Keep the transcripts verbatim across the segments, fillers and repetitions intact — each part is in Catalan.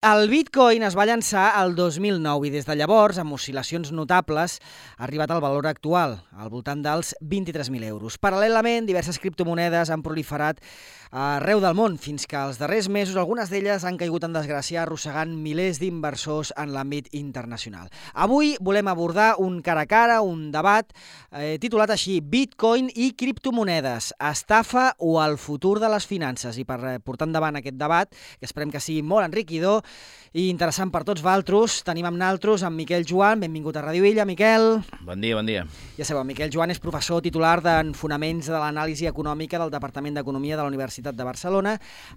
El Bitcoin es va llançar el dos mil nou i des de llavors, amb oscil·lacions notables, ha arribat al valor actual, al voltant dels vint-i-tres mil euros. Paral·lelament, diverses criptomonedes han proliferat arreu del món, fins que els darrers mesos algunes d'elles han caigut en desgràcia, arrossegant milers d'inversors en l'àmbit internacional. Avui volem abordar un cara a cara, un debat eh, titulat així: Bitcoin i criptomonedes, estafa o el futur de les finances? I per portar endavant aquest debat, que esperem que sigui molt enriquidor i interessant per tots vosaltres, tenim amb naltros amb Miquel Joan. Benvingut a Ràdio Illa, Miquel. Bon dia, bon dia. Ja sabeu, Miquel Joan és professor titular d'en Fonaments de l'Anàlisi Econòmica del Departament d'Economia de la Universitat de Barcelona,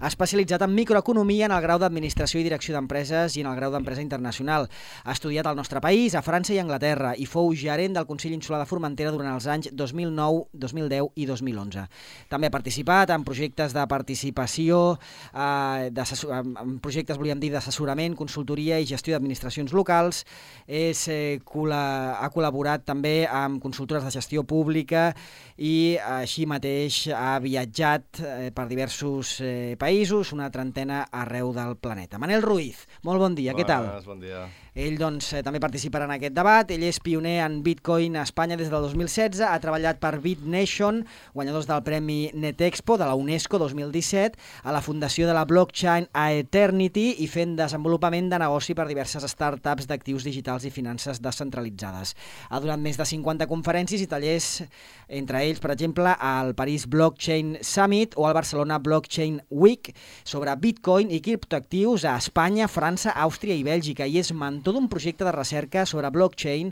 especialitzat en microeconomia en el grau d'Administració i Direcció d'Empreses i en el grau d'Empresa Internacional. Ha estudiat al nostre país, a França i Anglaterra, i fou gerent del Consell Insular de Formentera durant els anys dos mil nou, dos mil deu i dos mil onze. També ha participat en projectes de participació, eh, en projectes, volíem dir, d'assessorament, consultoria i gestió d'administracions locals. És, eh, col·la, ha col·laborat també amb consultores de gestió pública i així mateix ha viatjat eh, per diversos eh, països, una trentena arreu del planeta. Manel Ruiz, molt bon dia, Bones, què tal? Bon dia. Ell doncs, eh, també participarà en aquest debat. Ell és pioner en Bitcoin a Espanya des del dos mil setze, ha treballat per BitNation, guanyadors del Premi NetExpo de la UNESCO dos mil disset, a la fundació de la blockchain a Eternity i fent desenvolupament de negoci per diverses startups d'actius digitals i finances descentralitzades. Ha donat més de cinquanta conferències i tallers, entre ells, per exemple, al París Blockchain Summit o al Barcelona Blockchain Week, sobre Bitcoin i criptoactius a Espanya, França, Àustria i Bèlgica, i és mentor d'un projecte de recerca sobre blockchain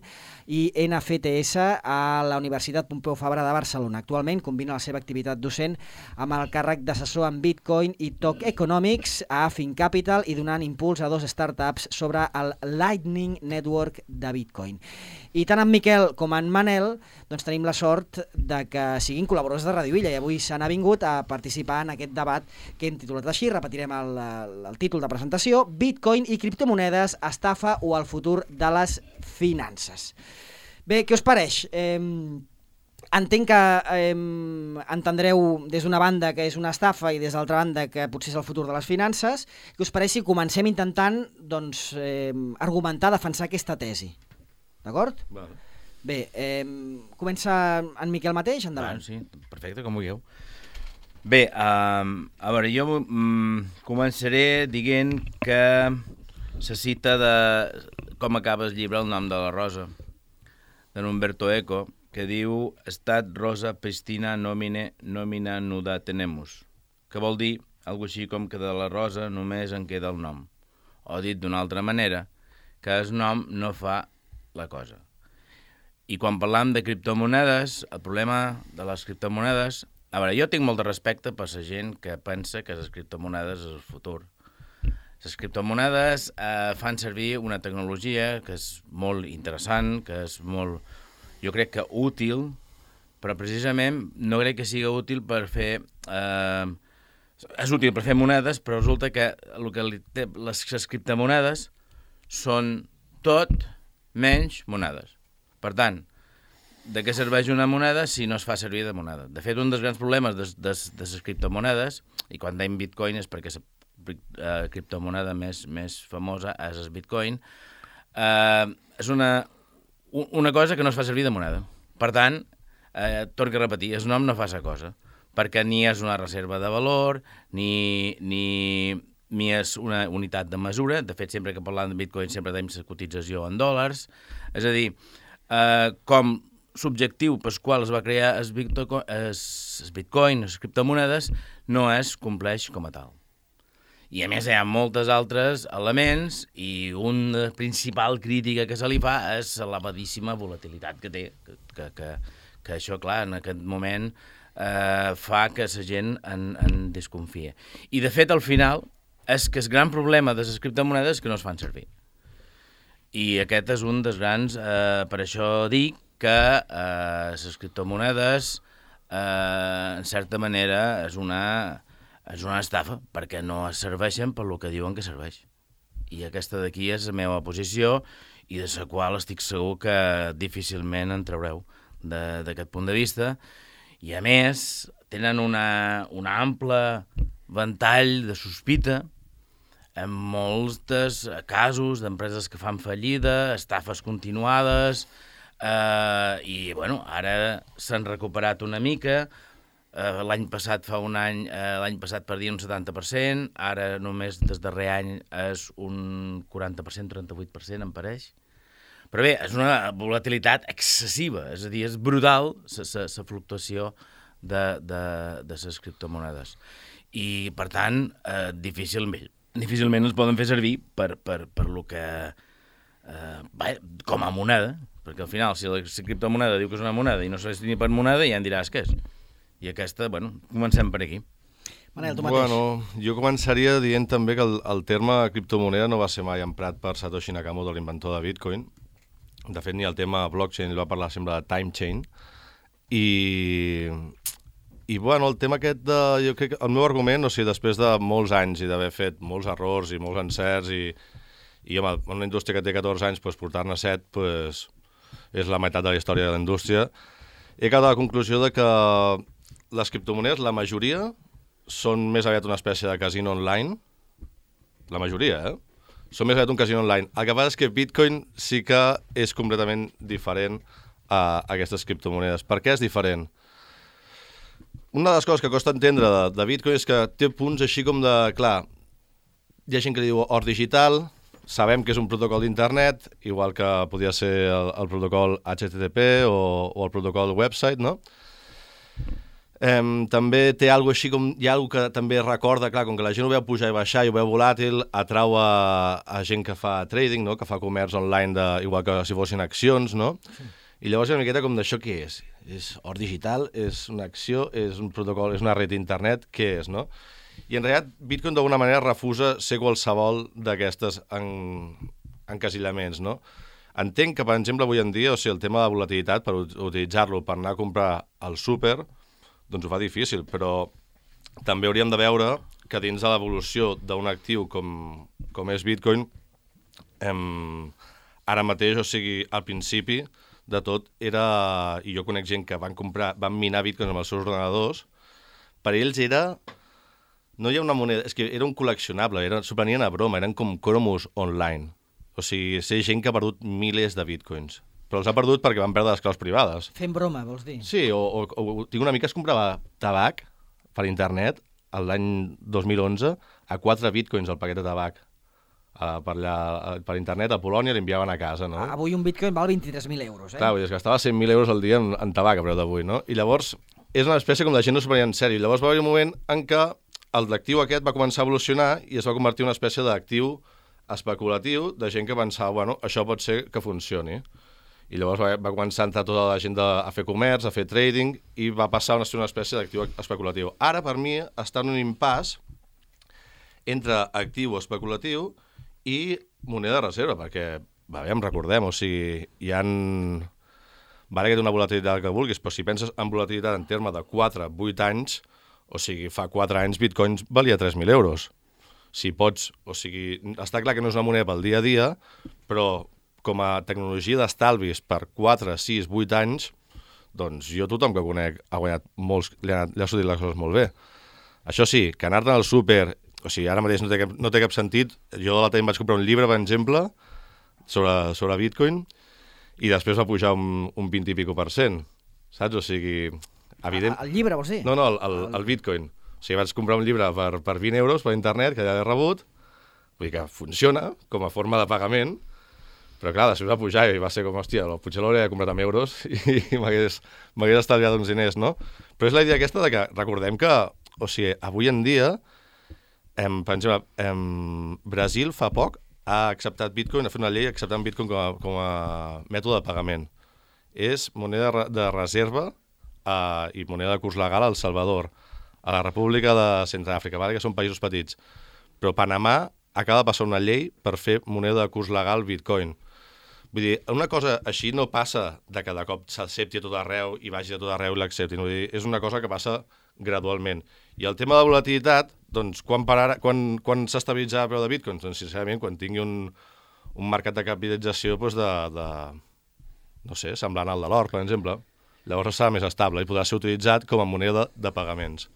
i N F T S a la Universitat Pompeu Fabra de Barcelona. Actualment combina la seva activitat docent amb el càrrec d'assessor en Bitcoin i Tokenomics a FinCapital i donant impuls a dos startups sobre el Lightning Network de Bitcoin. I tant en Miquel com en Manel doncs tenim la sort de que siguin col·laboradors de Ràdio Illa i avui s'han avingut a participar en aquest debat que hem titulat així. Repetirem el, el títol de presentació: Bitcoin i criptomonedes, estafa o el futur de les finances. Bé, què us pareix? Eh, entenc que eh, entendreu des d'una banda que és una estafa i des d'altra banda que potser és el futur de les finances. Què us pareix si comencem intentant doncs, eh, argumentar, defensar aquesta tesi? D'acord? Bueno. Bé, eh, comença en Miquel mateix, endavant. Bueno, sí, perfecte, com vulgueu. Bé, um, a veure, jo um, començaré dient que se cita de com acaba el llibre El nom de la rosa, de Umberto Eco, que diu «Estat rosa pristina nomine nomina nuda tenemus», que vol dir algo així com que de la rosa només en queda el nom. O dit d'una altra manera, que el nom no fa la cosa. I quan parlam de criptomonedes, el problema de les criptomonedes... A veure, jo tinc molt de respecte per la gent que pensa que les criptomonedes és el futur. Les criptomonedes eh, fan servir una tecnologia que és molt interessant, que és molt, jo crec que útil, però precisament no crec que sigui útil per fer... Eh, és útil per fer monedes, però resulta que, el que li té, les, les criptomonedes són tot menys monedes. Per tant, de què serveix una moneda si no es fa servir de moneda? De fet, un dels grans problemes de, de, de les criptomonedes, i quan dèiem Bitcoin és perquè la eh, criptomoneda més, més famosa és el Bitcoin, eh, és una, una cosa que no es fa servir de moneda. Per tant, eh, torno a repetir, el nom no fa la cosa, perquè ni és una reserva de valor, ni... ni ni és una unitat de mesura. De fet, sempre que parlem de Bitcoin sempre tenim la cotització en dòlars. És a dir, eh, com subjectiu pel qual es va crear el Bitcoin, el Bitcoin, les criptomonedes, no es compleix com a tal. I a més hi ha moltes altres elements i una principal crítica que se li fa és l'elevadíssima volatilitat que té, que, que, que, que això, clar, en aquest moment eh, fa que la gent en, en desconfia. I, de fet, al final, és que el gran problema de les criptomonedes és que no es fan servir. I aquest és un dels grans... Eh, per això dic que eh, les criptomonedes, eh, en certa manera, és una, és una estafa, perquè no es serveixen per lo que diuen que serveix. I aquesta d'aquí és la meva posició i de la qual estic segur que difícilment en traureu d'aquest punt de vista. I, a més, tenen una, una ampla ventall de sospita en molts casos d'empreses que fan fallida, estafes continuades, eh, i bueno, ara s'han recuperat una mica. Uh, l'any passat, fa un any, uh, l'any passat perdia un setanta per cent, ara només des darrer any és un quaranta per cent, trenta-vuit per cent, em pareix. Però bé, és una volatilitat excessiva, és a dir, és brutal la fluctuació de, de, de les criptomonedes. I, per tant, uh, difícilment, difícilment els poden fer servir per, per, per lo que... Uh, bé, com a moneda, perquè al final, si la, la criptomoneda diu que és una moneda i no se ni per moneda, ja em diràs què és. I aquesta, bueno, comencem per aquí. Manel, tu mateix. Bueno, jo començaria dient també que el, el terme criptomoneda no va ser mai emprat per Satoshi Nakamoto, l'inventor de Bitcoin. De fet, ni el tema blockchain, ell va parlar sempre de time chain. I, i bueno, el tema aquest de... Jo crec que el meu argument, o sigui, després de molts anys i d'haver fet molts errors i molts encerts i, i home, una indústria que té catorze anys, doncs, portar-ne set doncs, és la meitat de la història de la indústria, he quedat a la conclusió de que les criptomonedes, la majoria, són més aviat una espècie de casino online. La majoria, eh? Són més aviat un casino online. El que passa és que Bitcoin sí que és completament diferent a aquestes criptomonedes. Per què és diferent? Una de les coses que costa entendre de, de Bitcoin és que té punts així com de... Clar, hi ha gent que diu or digital, sabem que és un protocol d'internet, igual que podria ser el, el protocol H T T P o, o el protocol website, no? Um, també té alguna així com... Hi ha alguna que també recorda, clar, com que la gent ho veu pujar i baixar i ho veu volàtil, atrau a, a gent que fa trading, no? Que fa comerç online, de, igual que si fossin accions, no? Sí. I llavors hi ha una miqueta com d'això què és? És or digital? És una acció? És un protocol? És una red d'internet? Què és, no? I en realitat Bitcoin d'alguna manera refusa ser qualsevol d'aquestes en, encasillaments, no? Entenc que, per exemple, avui en dia, o sigui, el tema de volatilitat, per utilitzar-lo per anar a comprar al súper, doncs ho fa difícil, però també hauríem de veure que dins de l'evolució d'un actiu com, com és Bitcoin, em, ara mateix, o sigui, al principi de tot, era, i jo conec gent que van comprar, van minar Bitcoin amb els seus ordenadors, per ells era, no hi ha una moneda, és que era un col·leccionable, era, s'ho prenien a broma, eren com cromos online, o sigui, sé gent que ha perdut milers de Bitcoins. Però els ha perdut perquè van perdre les claus privades. Fent broma, vols dir? Sí, o, o, o tinc una amiga que es comprava tabac per internet l'any dos mil onze a quatre bitcoins el paquet de tabac. Uh, per, allà, per internet a Polònia l'enviaven a casa, no? Avui un bitcoin val vint-i-tres mil euros, eh? Clar, es gastava cent mil euros al dia en, en tabac a preu d'avui, no? I llavors és una espècie com la gent no s'ho prenia en sèrio. Llavors va haver un moment en què l'actiu aquest va començar a evolucionar i es va convertir en una espècie d'actiu especulatiu de gent que pensava, bueno, això pot ser que funcioni. I llavors va, va començar a entrar tota la gent de, a fer comerç, a fer trading, i va passar a ser una espècie d'actiu especulatiu. Ara, per mi, està en un impàs entre actiu especulatiu i moneda de reserva, perquè, va bé, em recordem, o sigui, hi ha... Vale que té una volatilitat que vulguis, però si penses en volatilitat en terme de quatre a vuit anys, o sigui, fa quatre anys Bitcoins valia tres mil euros. Si pots, o sigui, està clar que no és una moneda pel dia a dia, però com a tecnologia d'estalvis per quatre, sis, vuit anys, doncs jo tothom que conec ha guanyat molts, li ha, li ha sortit les coses molt bé. Això sí, que anar-te'n al súper, o sigui, ara mateix no té cap, no té cap sentit, jo l'altre dia em vaig comprar un llibre, per exemple, sobre, sobre Bitcoin, i després va pujar un, un vint i pico per cent, saps? O sigui, evident... El llibre, vols dir? No, no, el, el, el Bitcoin. O sigui, vaig comprar un llibre per, per vint euros per internet, que ja l'he rebut, vull dir que funciona com a forma de pagament, però clar, després va pujar i va ser com, hòstia, potser l'hauria de comprar amb euros i, i m'hagués estalviat uns diners, no? Però és la idea aquesta de que recordem que, o sigui, avui en dia, em, per exemple, em, Brasil fa poc ha acceptat Bitcoin, ha fet una llei acceptant Bitcoin com a, com a mètode de pagament. És moneda de reserva eh, i moneda de curs legal a El Salvador, a la República de Centreàfrica, vale? Que són països petits. Però Panamà acaba de passar una llei per fer moneda de curs legal Bitcoin. Vull dir, una cosa així no passa de que de cop s'accepti a tot arreu i vagi a tot arreu i l'acceptin. Vull dir, és una cosa que passa gradualment. I el tema de volatilitat, doncs, quan, pararà, quan, quan s'estabilitzarà el preu de Bitcoin? Doncs, sincerament, quan tingui un, un mercat de capitalització doncs de, de, no sé, semblant al de l'or, per exemple. Llavors serà més estable i podrà ser utilitzat com a moneda de pagaments.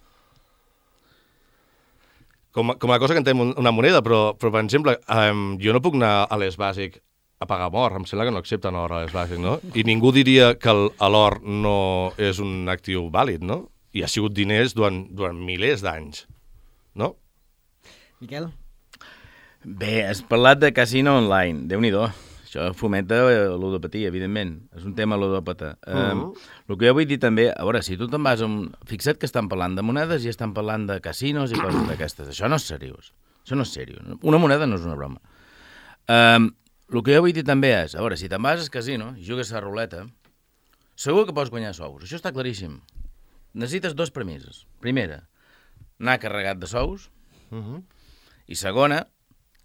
com, com a cosa que entenem una moneda, però, però per exemple, um, jo no puc anar a l'Es Bàsic a pagar amb or, em sembla que no accepten or a l'Es Bàsic, no? I ningú diria que l'or no és un actiu vàlid, no? I ha sigut diners durant, durant milers d'anys, no? Miquel? Bé, has parlat de casino online, Déu-n'hi-do. Això fomenta l'odopatia, evidentment. És un tema ludòpata. Uh -huh. um, el que jo vull dir també, a veure, si tu te'n vas... Un... Fixa't que estan parlant de monedes i estan parlant de casinos i coses d'aquestes. Això no és seriós. Això no és seriós. Una moneda no és una broma. Um, el que jo vull dir també és, a veure, si te'n vas al casino i jugues a la ruleta, segur que pots guanyar sous. Això està claríssim. Necessites dos premisses. Primera, anar carregat de sous. Uh -huh. I segona,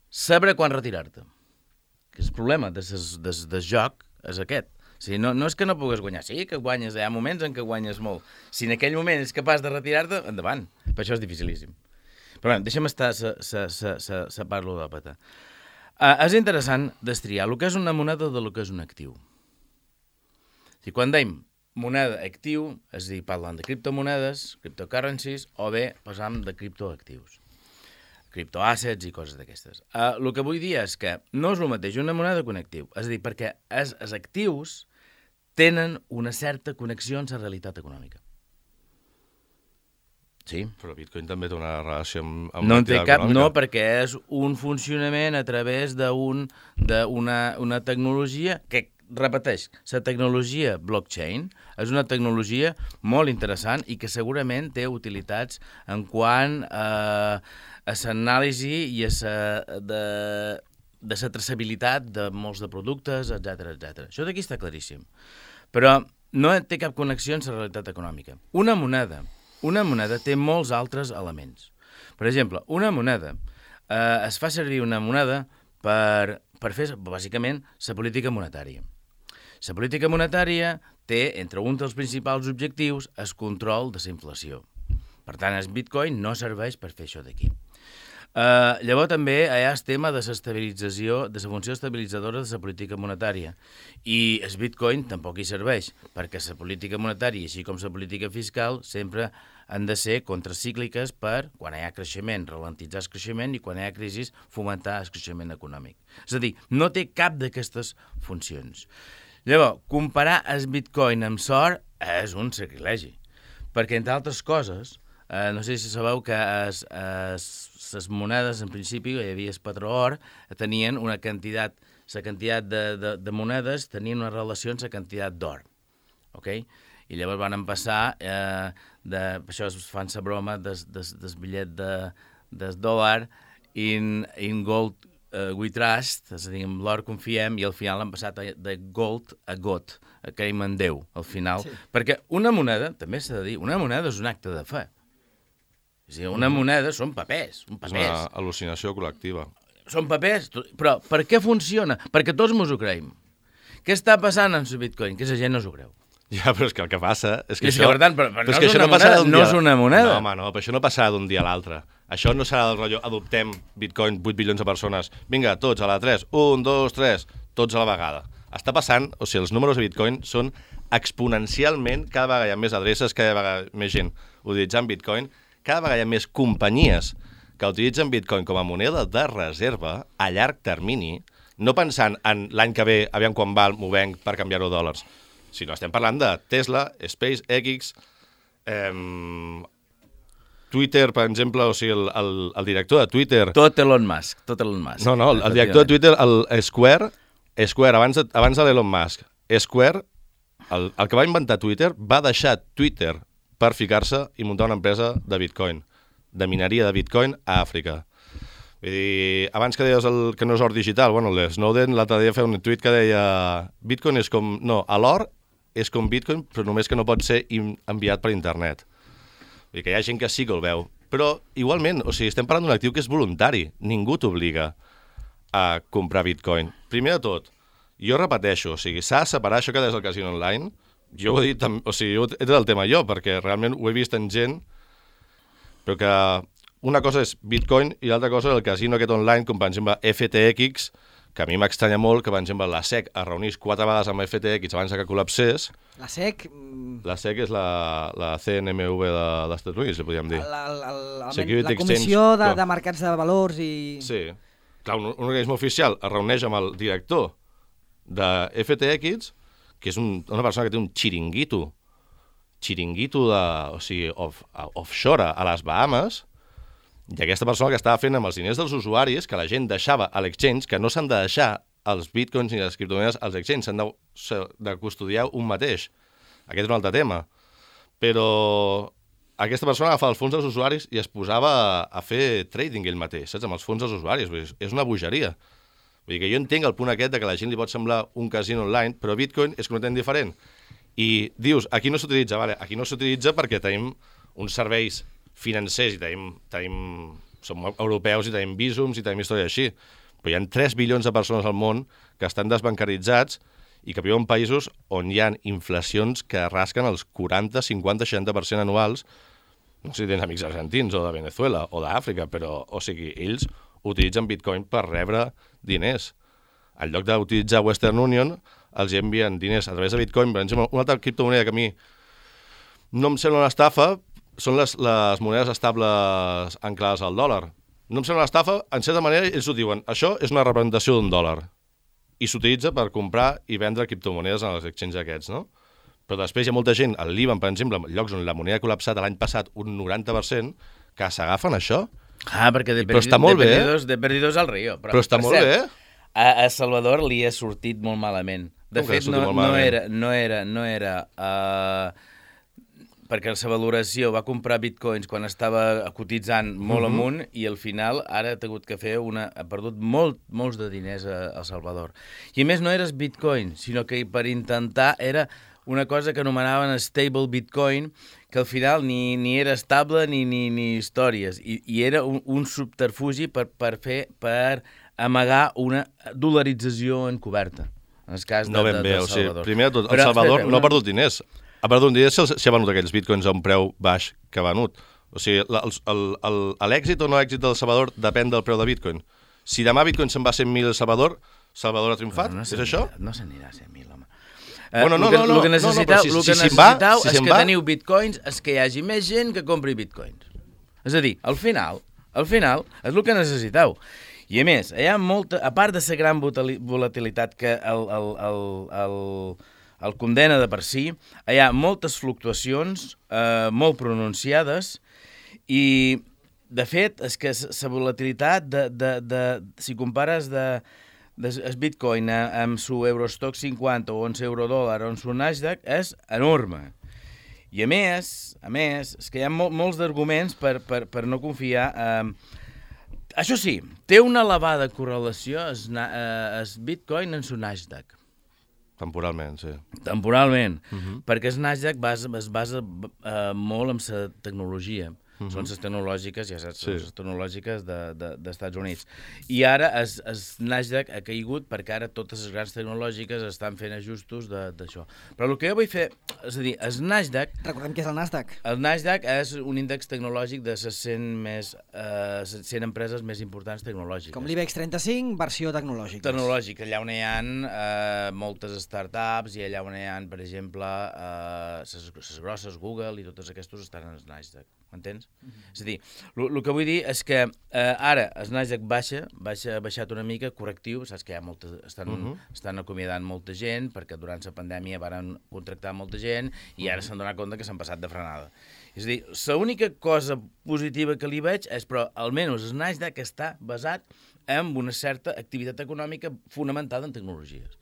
saber quan retirar-te. Que el problema del de, de joc és aquest. O sigui, no, no és que no pugues guanyar, sí que guanyes, hi ha moments en què guanyes molt. Si en aquell moment és capaç de retirar-te, endavant. Per això és dificilíssim. Però bé, deixa'm estar sa part ludòpata. Uh, és interessant destriar el que és una moneda del que és un actiu. O sigui, quan dèiem moneda actiu, és a dir, parlant de criptomonedes, cryptocurrencies, o bé passam de criptoactius. Criptoassets i coses d'aquestes. Uh, el que vull dir és que no és el mateix una moneda que un actiu. És a dir, perquè els, els actius tenen una certa connexió amb la realitat econòmica. Sí. Però Bitcoin també té una relació amb, amb no en té cap, econòmica. no, perquè és un funcionament a través d'una un, una tecnologia que, repeteix, la tecnologia blockchain és una tecnologia molt interessant i que segurament té utilitats en quant a, a l'anàlisi i a la de, de la traçabilitat de molts de productes, etcètera, etcètera. Això d'aquí està claríssim. Però no té cap connexió amb la realitat econòmica. Una moneda, una moneda té molts altres elements. Per exemple, una moneda, eh, es fa servir una moneda per, per fer, bàsicament, la política monetària. La política monetària té, entre un dels principals objectius, el control de la inflació. Per tant, el Bitcoin no serveix per fer això d'aquí. Uh, llavors també hi ha el tema de l'estabilització, de la funció estabilitzadora de la política monetària. I el Bitcoin tampoc hi serveix, perquè la política monetària, així com la política fiscal, sempre han de ser contracícliques per, quan hi ha creixement, ralentitzar el creixement i quan hi ha crisi, fomentar el creixement econòmic. És a dir, no té cap d'aquestes funcions. Llavors, comparar el Bitcoin amb l'or és un sacrilegi, perquè, entre altres coses, eh, no sé si sabeu que es, es, les monedes, en principi, hi havia el patró or, tenien una quantitat, la quantitat de, de, de monedes tenien una relació amb la quantitat d'or, ok? I llavors van passar, eh, de, per això es fan la broma del des, des bitllet de, del dòlar in, in gold uh, we trust, és a dir, amb l'or confiem, i al final han passat de gold a got, a creiem en Déu, al final. Sí. Perquè una moneda, també s'ha de dir, una moneda és un acte de fe. És a dir, una moneda són papers, són papers. És una al·lucinació col·lectiva. Són papers, però per què funciona? Perquè tots mos ho creiem. Què està passant amb el Bitcoin? Que la gent no s'ho creu. Ja, però és que el que passa... És que, és això, que per tant, però, però però no, és que és això una no passarà moneda, d'un no dia... és una moneda. No, home, no, però això no passarà d'un dia a l'altre. Això no serà del rotllo, adoptem Bitcoin, vuit bilions de persones, vinga, tots a la tres, un, dos, tres, tots a la vegada. Està passant, o sigui, els números de Bitcoin són exponencialment, cada vegada hi ha més adreces, cada vegada més gent utilitzant Bitcoin, cada vegada hi ha més companyies que utilitzen Bitcoin com a moneda de reserva a llarg termini, no pensant en l'any que ve, aviam quan val, m'ho venc per canviar-ho a dòlars, sinó estem parlant de Tesla, SpaceX, eh, Twitter, per exemple, o sigui, el, el, el director de Twitter... Tot Elon Musk, tot Elon Musk. No, no, el, el director de Twitter, el Square, Square abans de, abans de l'Elon Musk, Square, el, el que va inventar Twitter, va deixar Twitter per ficar-se i muntar una empresa de Bitcoin, de mineria de Bitcoin a Àfrica. Vull dir, abans que deies el, que no és or digital, bueno, Snowden l'altre dia feia un tuit que deia Bitcoin és com... No, l'or és com Bitcoin, però només que no pot ser enviat per internet. Vull dir que hi ha gent que sí que el veu. Però, igualment, o sigui, estem parlant d'un actiu que és voluntari. Ningú t'obliga a comprar Bitcoin. Primer de tot, jo repeteixo, o sigui, s'ha de separar això que deies al casino online. Jo ho he dit, o sigui, he tret el tema jo, perquè realment ho he vist en gent, però que una cosa és Bitcoin i l'altra cosa és el casino aquest online, com per exemple F T X, que a mi m'estranya molt que, per exemple, la S E C es reunís quatre vegades amb F T X abans que col·lapsés. La S E C... La S E C és la, la C N M V de, dels Estats Units, li podríem dir. La, la, la, Security la Comissió Exchange, de, clar. de Mercats de Valors i... Sí. Clar, un, un organisme oficial es reuneix amb el director de F T X, que és un, una persona que té un xiringuito, xiringuito de, o sigui, off, offshore a les Bahames, i aquesta persona que estava fent amb els diners dels usuaris, que la gent deixava a l'exchange, que no s'han de deixar els bitcoins ni les criptomonedes als exchange, s'han de, de custodiar un mateix. Aquest és un altre tema. Però aquesta persona agafava els fons dels usuaris i es posava a, a fer trading ell mateix, saps? Amb els fons dels usuaris. Vull dir, és una bogeria. Vull dir que jo entenc el punt aquest de que a la gent li pot semblar un casino online, però Bitcoin és completament diferent. I dius, aquí no s'utilitza, vale, aquí no s'utilitza perquè tenim uns serveis financers i tenim, tenim, som europeus i tenim vísums i tenim història així. Però hi ha tres bilions de persones al món que estan desbancaritzats i que viuen en països on hi ha inflacions que rasquen els quaranta, cinquanta, seixanta per cent anuals. No sé si tens amics argentins o de Venezuela o d'Àfrica, però, o sigui, ells utilitzen Bitcoin per rebre diners. En lloc d'utilitzar Western Union, els envien diners a través de Bitcoin. Per exemple, una altra criptomoneda que a mi no em sembla una estafa són les, les monedes estables anclades al dòlar. No em sembla una estafa, en certa manera ells ho diuen, això és una representació d'un dòlar i s'utilitza per comprar i vendre criptomonedes en els exchanges aquests, no? Però després hi ha molta gent, al Líban, per exemple, en llocs on la moneda ha col·lapsat l'any passat un noranta per cent, que s'agafen això. Ah, perquè de, però està molt de, bé, perdidos, de perdidos al río. Però, però està per molt cert, bé. A, a Salvador li ha sortit molt malament. De Com fet, no, no era... No era, no era uh, perquè la seva valoració va comprar bitcoins quan estava cotitzant molt uh-huh. amunt i al final ara ha hagut que fer una... ha perdut molt, molts de diners a, a Salvador. I a més no eres bitcoin, sinó que per intentar era una cosa que anomenaven stable bitcoin, que al final ni, ni era estable ni, ni, ni històries. I, i era un, un subterfugi per, per fer, per amagar una dolarització encoberta. En el cas de, no ben de, bé, de o sigui, Salvador. primer de tot, el Però, Salvador espera, no ha una... perdut diners. Ha perdut diners si, si ha venut aquells bitcoins a un preu baix que ha venut. O sigui, l'èxit o no èxit del Salvador depèn del preu de bitcoin. Si demà bitcoin se'n va a cent mil a Salvador, Salvador ha triomfat? No, no és això? No s'anirà a cent mil, home. Bueno, no, el que, no, no, el que necessiteu, no, no, si, el que si, si va, necessiteu si és que va... teniu bitcoins, és que hi hagi més gent que compri bitcoins. És a dir, al final, al final, és el que necessiteu. I a més, hi ha molta, a part de la gran volatilitat que el, el, el, el, el condena de per si, hi ha moltes fluctuacions eh, molt pronunciades i, de fet, és que la volatilitat, de, de, de, si compares de, de el bitcoin amb su Eurostock cinquanta o amb l'eurodòlar o amb su Nasdaq, és enorme. I a més, a més, és que hi ha mol, molts d'arguments per, per, per no confiar. Eh, això sí, té una elevada correlació el bitcoin en su Nasdaq. Temporalment, sí. Temporalment, Uh-huh. perquè el Nasdaq basa, es basa eh, molt en la tecnologia. Uh-huh. Són les tecnològiques, ja saps, són Sí. les tecnològiques de, de, dels Estats Units. I ara el Nasdaq ha caigut perquè ara totes les grans tecnològiques estan fent ajustos d'això. Però el que jo vull fer, és a dir, el Nasdaq... Recordem que és el Nasdaq. El Nasdaq és un índex tecnològic de les cent, més, eh, cent empreses més importants tecnològiques. Com l'IBEX trenta-cinc, versió tecnològica. Tecnològic, allà on hi ha eh, moltes startups i allà on hi ha, per exemple, les eh, grosses Google i totes aquestes estan en el Nasdaq. M'entens? Mm-hmm. És a dir, el que vull dir és que eh, ara el Nasdaq baixa, baixa, ha baixat una mica, correctiu, saps que hi ha molta, estan, uh-huh. estan acomiadant molta gent, perquè durant la pandèmia van contractar molta gent i ara uh-huh. s'han donat compte que s'han passat de frenada. És a dir, l'única cosa positiva que li veig és, però almenys el Nasdaq està basat en una certa activitat econòmica fonamentada en tecnologies.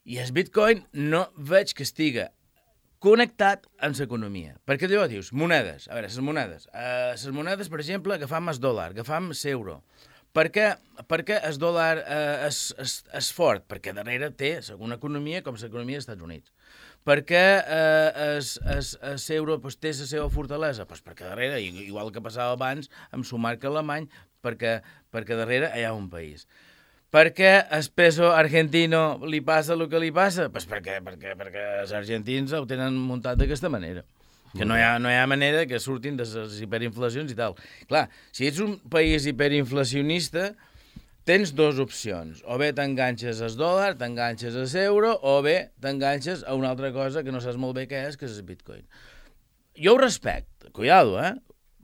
I el Bitcoin no veig que estiga connectat amb l'economia. Perquè allò dius, monedes, a veure, les monedes. Uh, les monedes, per exemple, agafam el dòlar, agafam l'euro. Per què, per què el dòlar uh, és, és, és fort? Perquè darrere té una economia com l'economia dels Estats Units. Per què l'euro pues, té la seva fortalesa? Pues perquè darrere, igual que passava abans amb el marc alemany, perquè, perquè darrere hi ha un país. Per què el peso argentino li passa el que li passa? Pues perquè, perquè, perquè els argentins ho tenen muntat d'aquesta manera. Que no hi, ha, no hi ha manera que surtin de les hiperinflacions i tal. Clar, si ets un país hiperinflacionista, tens dues opcions. O bé t'enganxes al dòlar, t'enganxes a l'euro, o bé t'enganxes a una altra cosa que no saps molt bé què és, que és el bitcoin. Jo ho respecto, cuidado, eh?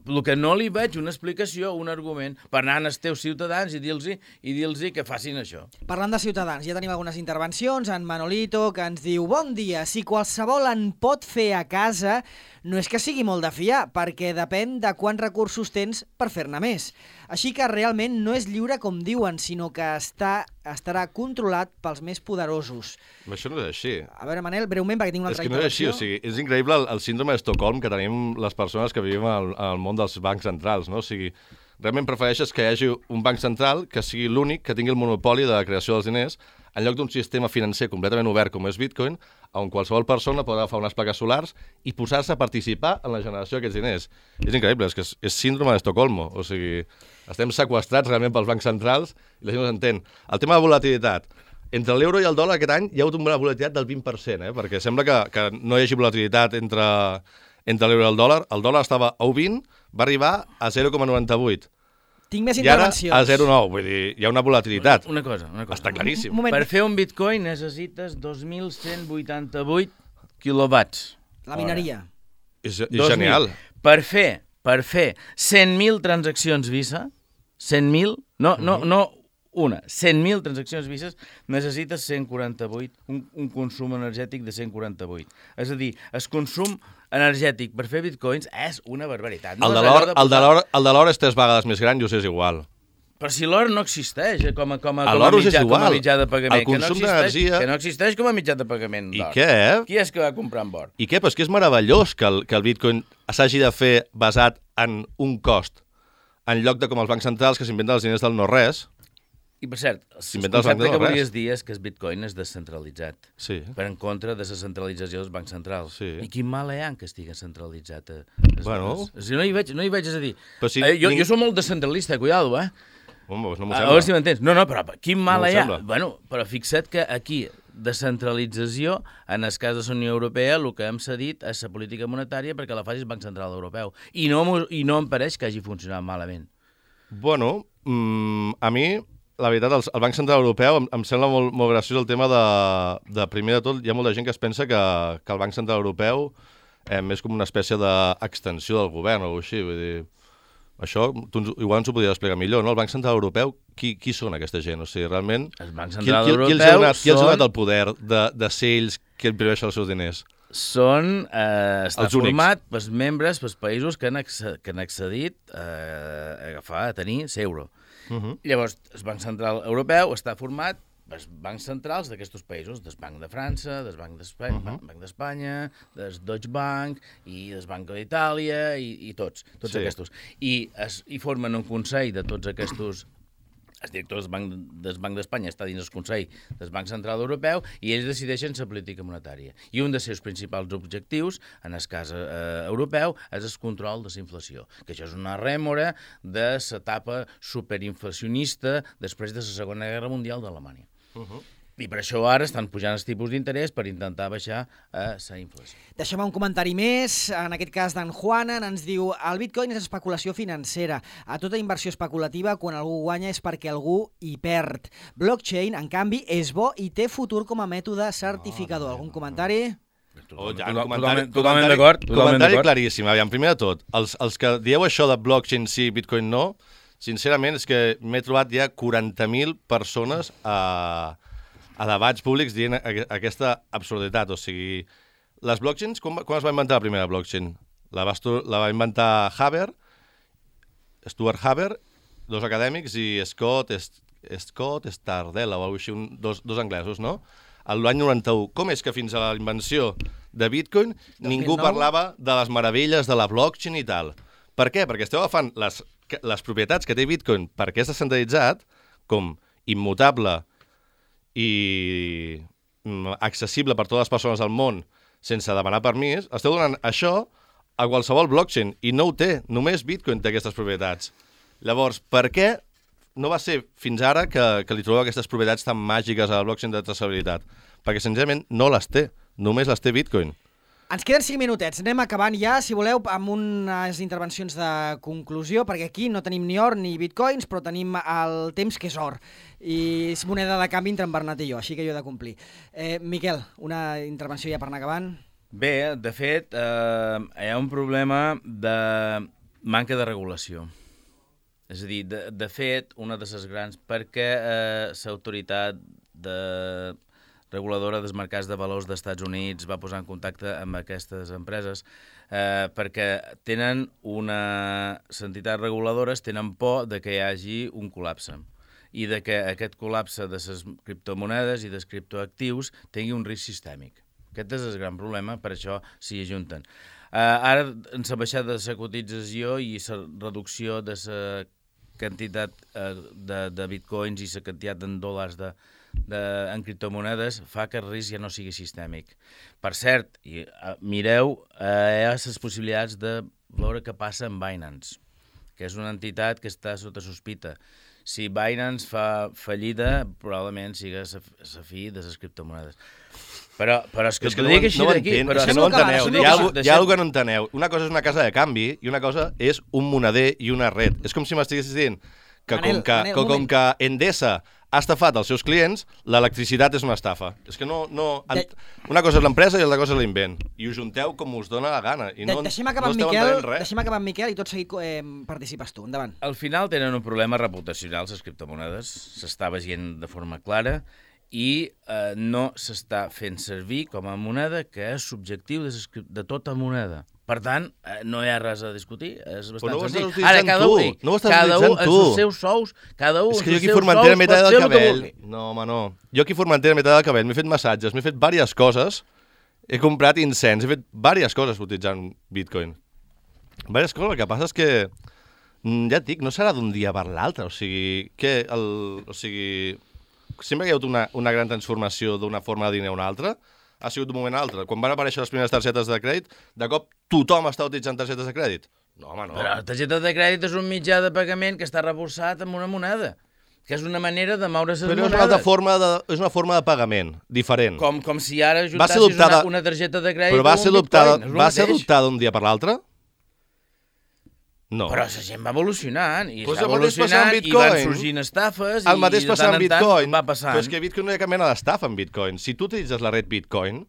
El que no li veig una explicació, un argument, per anar als teus ciutadans i dir-los i dir-los que facin això. Parlant de ciutadans, ja tenim algunes intervencions. En Manolito, que ens diu: bon dia, si qualsevol en pot fer a casa, no és que sigui molt de fiar, perquè depèn de quants recursos tens per fer-ne més. Així que realment no és lliure com diuen, sinó que està, estarà controlat pels més poderosos. Això no és així. A veure, Manel, breument, perquè tinc una és altra que no és així, intervenció. o sigui, és increïble el, el síndrome d'Estocolm que tenim les persones que vivim al, al món dels bancs centrals, no? O sigui, realment prefereixes que hi hagi un banc central que sigui l'únic que tingui el monopoli de la creació dels diners en lloc d'un sistema financer completament obert com és Bitcoin, on qualsevol persona pot agafar unes plaques solars i posar-se a participar en la generació d'aquests diners. És increïble, és que és, és síndrome d'Estocolmo, o sigui, estem seqüestrats realment pels bancs centrals i la gent no s'entén. El tema de volatilitat. Entre l'euro i el dòlar aquest any hi ha hagut una volatilitat del vint per cent, eh? Perquè sembla que, que no hi hagi volatilitat entre, entre l'euro i el dòlar. El dòlar estava a un coma vint, va arribar a zero coma noranta-vuit. Tinc més I ara intervencions. a zero coma nou, vull dir, hi ha una volatilitat. Una cosa, una cosa. Està claríssim. Un moment. Per fer un bitcoin necessites dos mil cent vuitanta-vuit quilowatts. La mineria. És, és dos mil. genial. Per fer, per fer cent mil transaccions Visa, cent mil, no, no, no una, cent mil transaccions Visa, necessites cent quaranta-vuit, un, un consum energètic de cent quaranta-vuit. És a dir, el consum energètic per fer bitcoins és una barbaritat. No El de és l'or allò de el de posar- l'or el de l'or és tres vegades més gran i us és igual. Però si l'or no existeix eh, com a, com a, A com a, l'or us és mitjà, com a igual. mitjà de pagament. El consum que no existeix, d'energia- que no existeix com a mitjà de pagament I d'or. què? Qui és que va comprar amb or? I què? Però és que és meravellós que el, que el bitcoin s'hagi de fer basat en un cost, en lloc de com els bancs centrals que s'inventen els diners del no-res. I per cert, el S'inventa els concepte bancs que de no volies res. dir és que el bitcoin és descentralitzat. Sí. Per en contra de la centralització dels bancs centrals. Sí. I quin mal hi ha en que estigui centralitzat? Eh? Bueno. O sigui, no hi veig, no hi veig, és a dir... Però si eh, jo, ning- jo soc molt descentralista, cuidado, eh? Home, doncs no m'ho A, a sembla. veure si m'entens. No, no, però quin mal No m'ho hi ha? sembla. Bueno, però fixa't que aquí, descentralització, en el cas de la Unió Europea, el que hem cedit és la política monetària perquè la faci el Banc Central Europeu. I no, m'ho- i no em pareix que hagi funcionat malament. Bueno, mm, a mi, la veritat, el, el Banc Central Europeu em, em sembla molt, molt graciós el tema de, de, primer de tot, hi ha molta gent que es pensa que, que el Banc Central Europeu eh, és com una espècie d'extensió del govern o alguna cosa així, vull dir... Això, tu ens- igual ens ho podries explicar millor, no? El Banc Central Europeu, qui, qui són aquesta gent? O sigui, realment... El Banc Qui, Central qui, qui, els ha Europeu donat, qui els ha són- donat el poder de, de ser ells que imprimeixen els seus diners? Són, eh, està Els únics. format pels membres, pels països que han, acce- que han accedit eh, a agafar, a tenir l'euro. Uh -huh. Llavors, el Banc Central Europeu està format pels bancs centrals d'aquests països, del Banc de França, del Banc d'Espanya, uh -huh. Banc d'Espanya, del Deutsche Bank i del Banc d'Itàlia i, i tots, tots Sí. aquests. I, es, I formen un consell de tots aquests... El director del Banc, del Banc d'Espanya està dins el Consell del Banc Central Europeu i ells decideixen la política monetària. I un dels seus principals objectius, en el cas eh, europeu, és el control de la inflació, que això és una rèmora de l'etapa superinflacionista després de la Segona Guerra Mundial d'Alemanya. Uh -huh. I per això ara estan pujant els tipus d'interès per intentar baixar eh, la inflació. Deixem un comentari més, en aquest cas d'en Juanan, ens diu: el bitcoin és especulació financera. A tota inversió especulativa, quan algú guanya és perquè algú hi perd. Blockchain, en canvi, és bo i té futur com a mètode certificador. Algun comentari? Oh, ja, Total- comentari, totalment- totalment comentari- d'acord, totalment Comentari d'acord. claríssim. Aviam, primer de tot, els, els que dieu això de blockchain sí, bitcoin no, sincerament és que m'he trobat ja quaranta mil persones a, a debats públics dient a- aquesta absurditat. O sigui, les blockchains, quan, quan es va inventar la primera blockchain? La va, estu- la va inventar Haber, Stuart Haber, dos acadèmics, i Scott, Est, Scott Stardella, o alguna cosa així, un, dos, dos anglesos, no? A l'any noranta-u. Com és que fins a la invenció de Bitcoin ningú nou? parlava de les meravelles de la blockchain i tal? Per què? Perquè esteu agafant les, que- les propietats que té Bitcoin perquè és descentralitzat, com immutable i mm, accessible per totes les persones del món sense demanar permís, esteu donant això a qualsevol blockchain i no ho té, només Bitcoin té aquestes propietats. Llavors, per què no va ser fins ara que, que li trobeu aquestes propietats tan màgiques a la blockchain de traçabilitat? Perquè senzillament no les té, només les té Bitcoin. Ens queden cinc minutets, anem acabant ja, si voleu, amb unes intervencions de conclusió, perquè aquí no tenim ni or ni bitcoins, però tenim el temps que és or, i és moneda de canvi entre en Bernat i jo, així que jo he de complir. Eh, Miquel, una intervenció ja per anar acabant. Bé, de fet, eh, hi ha un problema de manca de regulació. És a dir, de, de fet, una de les grans, perquè eh, l'autoritat de... reguladora dels mercats de valors dels Estats Units va posar en contacte amb aquestes empreses eh, perquè tenen una... les entitats reguladores tenen por de que hi hagi un col·lapse i de que aquest col·lapse de les criptomonedes i dels criptoactius tingui un risc sistèmic. Aquest és el gran problema, per això s'hi ajunten. Eh, ara, en la baixada de la cotització i la reducció de la quantitat eh, de, de bitcoins i la quantitat en dòlars de De, en criptomonedes fa que el risc ja no sigui sistèmic. Per cert, i, uh, mireu, uh, hi ha les possibilitats de veure què passa amb Binance, que és una entitat que està sota sospita. Si Binance fa fallida, probablement sigui la fi de les criptomonedes. Però, però és que, és que t'ho no, dic així no d'aquí. Però és que que no ho enteneu. no Hi ha, deixem- hi ha alguna que no enteneu. Una cosa és una casa de canvi i una cosa és un moneder i una red. És com si m'estiguessis dient que Manel, com que, Manel, com, un com moment. que Endesa ha estafat els seus clients, l'electricitat és una estafa. És que no... no De... una cosa és l'empresa i l'altra cosa és l'invent. I ho junteu com us dona la gana. I De no, deixem acabar no amb esteu Miquel, entenent res. deixem acabar amb Miquel i tot seguit eh, participes tu. Endavant. Al final tenen un problema reputacional, les criptomonedes. S'està veient de forma clara i eh, no s'està fent servir com a moneda, que és subjectiu de, ses, de tota moneda. Per tant, eh, no hi ha res a discutir, és bastant no ho estàs senzill. utilitzant Ara, cada tu, un, no ho estàs cada un utilitzant els tu. seus sous, cada un És que els jo aquí seus Formentera sous m'he pot tallat fer el el que cabell. vulgui. No, home, no. Jo aquí Formentera m'he tallat el cabell, m'he fet massatges, m'he fet diverses coses, he comprat incens, he fet diverses coses utilitzant Bitcoin. Diverses coses, el que passa és que, mm, ja et dic, no serà d'un dia per l'altre, o sigui, que el, o sigui, sempre que hi ha hagut una, una gran transformació d'una forma de diner a una altra, ha sigut d'un moment a l'altre. Quan van aparèixer les primeres targetes de crèdit, de cop tothom està utilitzant targetes de crèdit. No, home, no. Però la targeta de crèdit és un mitjà de pagament que està reforçat amb una moneda, que és una manera de moure les Però és monedes. una altra forma de, és una forma de pagament, diferent. Com, com si ara Va ser ajuntassis adoptada- una, una targeta de crèdit Però va amb ser un adoptada, bitcoin, és el va ser mateix. adoptada d'un dia per l'altre? No. Però la gent va evolucionant, i Pues està el mateix passa amb evolucionant, i van Bitcoin. sorgint estafes, El i mateix de passa tant amb en tant Bitcoin. va passant. Però és que Bitcoin no hi ha cap mena d'estafa en Bitcoin. Si tu utilitzes la red Bitcoin,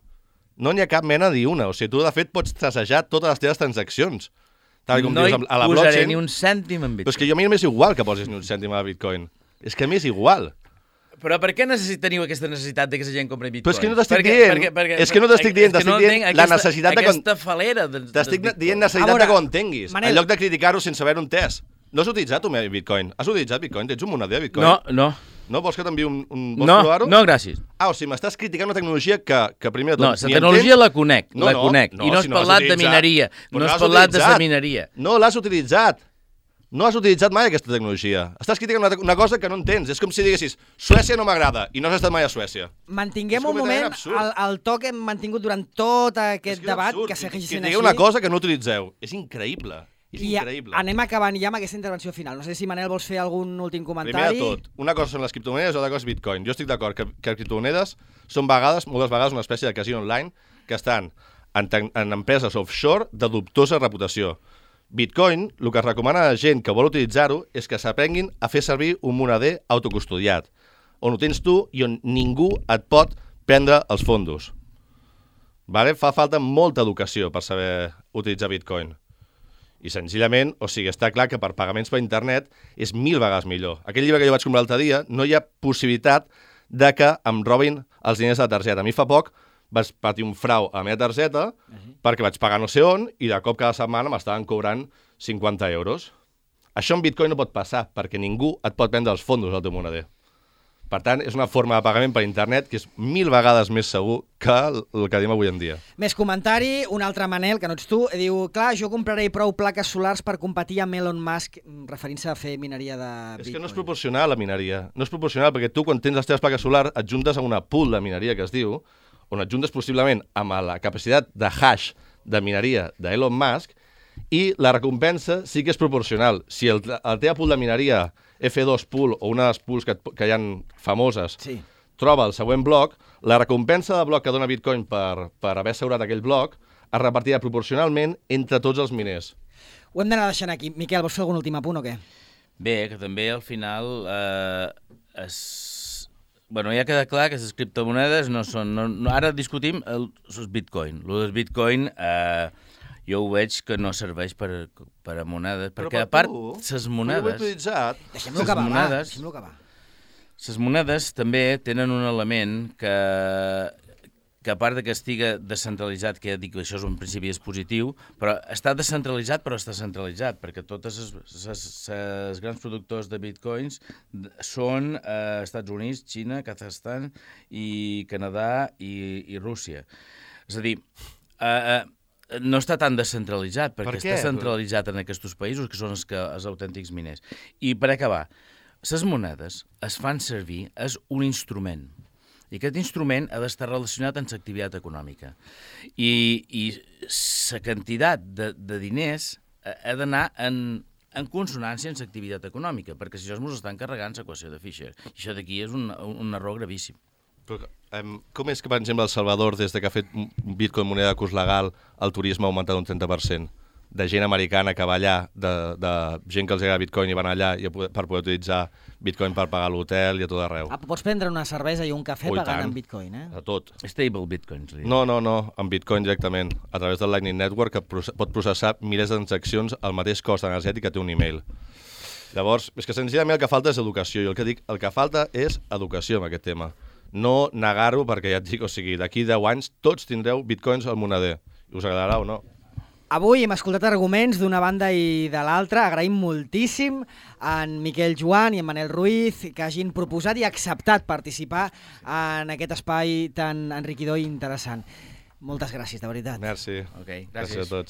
no n'hi ha cap mena ni una. O sigui, tu de fet pots trassejar totes les teves transaccions. Tal com no dius, hi a la posaré blockchain. ni un cèntim en Però és Bitcoin. que jo a mi m'és igual que posis ni un cèntim a Bitcoin. És que a mi és igual. Però per què necessit, teniu aquesta necessitat de que la gent compri Bitcoin? Però és que no t'estic Perquè- dient. perquè- perquè- És que no t'estic dient, és que t'estic no dient entenc la aquesta- necessitat de... Aquesta falera de, T'estic de dient A necessitat veure, de que ho entenguis. Manel. En lloc de criticar-ho sense haver un entès. No has utilitzat tu mai Bitcoin? Has utilitzat Bitcoin? Tens un moneder de Bitcoin? No, no, No? Vols que t'enviï un... un... Vols no, provar-ho? no, gràcies. Ah, o sigui, m'estàs criticant una tecnologia que, que primer de tot... No, ni la tecnologia entens. la conec, No, la no, conec. no, I no has si no l'has parlat de utilitzat. mineria, Però no has l'has parlat de la utilitzat. mineria. No l'has utilitzat. No has utilitzat mai aquesta tecnologia. Estàs criticant una, una cosa que no entens. És com si diguessis, Suècia no m'agrada, i no has estat mai a Suècia. Mantinguem És un completament moment absurd. el, el to que hem mantingut durant tot aquest És que és debat, absurd. que segueixi Que sent digueu així. una cosa que no utilitzeu. És increïble. És I a- increïble. anem acabant ja amb aquesta intervenció final. No sé si Manel vols fer algun últim Primer comentari. de tot, una cosa són les criptomonedes i l'altra cosa és Bitcoin. Jo estic d'acord que, que les criptomonedes són vegades, moltes vegades, una espècie de casino online que estan en, ten- en empreses offshore de dubtosa reputació. Bitcoin, el que es recomana a la gent que vol utilitzar-ho és que s'aprenguin a fer servir un moneder autocustodiat, on ho tens tu i on ningú et pot prendre els fondos. Vale? Fa falta molta educació per saber utilitzar Bitcoin. I senzillament, o sigui, està clar que per pagaments per internet és mil vegades millor. Aquell llibre que jo vaig comprar l'altre dia, no hi ha possibilitat de que em robin els diners de la targeta. A mi fa poc vaig patir un frau a la meva targeta uh-huh. perquè vaig pagar no sé on i de cop cada setmana m'estaven cobrant cinquanta euros. Això en Bitcoin no pot passar perquè ningú et pot prendre els fondos al teu moneder. Per tant, és una forma de pagament per internet que és mil vegades més segur que el que diem avui en dia. Més comentari, un altre Manel, que no ets tu, diu, clar, jo compraré prou plaques solars per competir amb Elon Musk, referint-se a fer mineria de Bitcoin. És que no és proporcional la mineria. No és proporcional perquè tu, quan tens les teves plaques solars, et juntes a una pool de mineria que es diu, on et juntes possiblement amb la capacitat de hash de mineria d'Elon Musk, i la recompensa sí que és proporcional. Si el, el teva pool de mineria F dos pool o una de les pools que, que hi ha famoses Sí. troba el següent bloc, la recompensa de bloc que dona Bitcoin per, per haver assegurat aquell bloc es repartirà proporcionalment entre tots els miners. Ho hem d'anar deixant aquí. Miquel, vols fer algun últim apunt o què? Bé, que també al final eh, es... Bueno, ja queda clar que les criptomonedes no són... No, no, ara discutim el, els bitcoin. El del bitcoin eh, jo ho veig que no serveix per, per a monedes, Però perquè per a part, tu, les ho he monedes... utilitzat. Deixem-lo Les acabar, va. monedes- Deixem-lo acabar. Les monedes també tenen un element que, que a part de que estiga descentralitzat, que ja dic que això és un principi és positiu, però està descentralitzat però està centralitzat, perquè totes els grans productors de bitcoins són eh, Estats Units, Xina, Kazakhstan i Canadà i, i Rússia. És a dir, eh, eh, no està tan descentralitzat, perquè Per què? està centralitzat en aquests països, que són els, que, els autèntics miners. I per acabar, les monedes es fan servir, és un instrument. I aquest instrument ha d'estar relacionat amb l'activitat econòmica. I, i la quantitat de, de diners ha d'anar en, en consonància amb l'activitat econòmica, perquè si això ens està encarregant l'equació de Fisher. I això d'aquí és un, un error gravíssim. Però, um, com és que, per exemple, El Salvador, des de que ha fet Bitcoin moneda de curs legal, el turisme ha augmentat un trenta per cent? De gent americana que va allà, de, de gent que els agrada Bitcoin i van allà i per poder utilitzar Bitcoin per pagar l'hotel i a tot arreu. Ah, pots prendre una cervesa i un cafè Oh, i pagant tant. en bitcoin, eh? A tot. Stable bitcoins. Li. No, no, no, amb Bitcoin directament, a través del Lightning Network, que proce- pot processar milers de transaccions al mateix cost energètic que té un email. Llavors, és que senzillament el que falta és educació, i el que dic, el que falta és educació en aquest tema. No negar-ho, perquè ja et dic, o sigui, d'aquí deu anys tots tindreu Bitcoins al moneder. I us agradarà o no? Avui hem escoltat arguments d'una banda i de l'altra. Agraïm moltíssim a en Miquel Joan i en Manel Ruiz que hagin proposat i acceptat participar en aquest espai tan enriquidor i interessant. Moltes gràcies, de veritat. Merci. Okay, Gràcies a tots.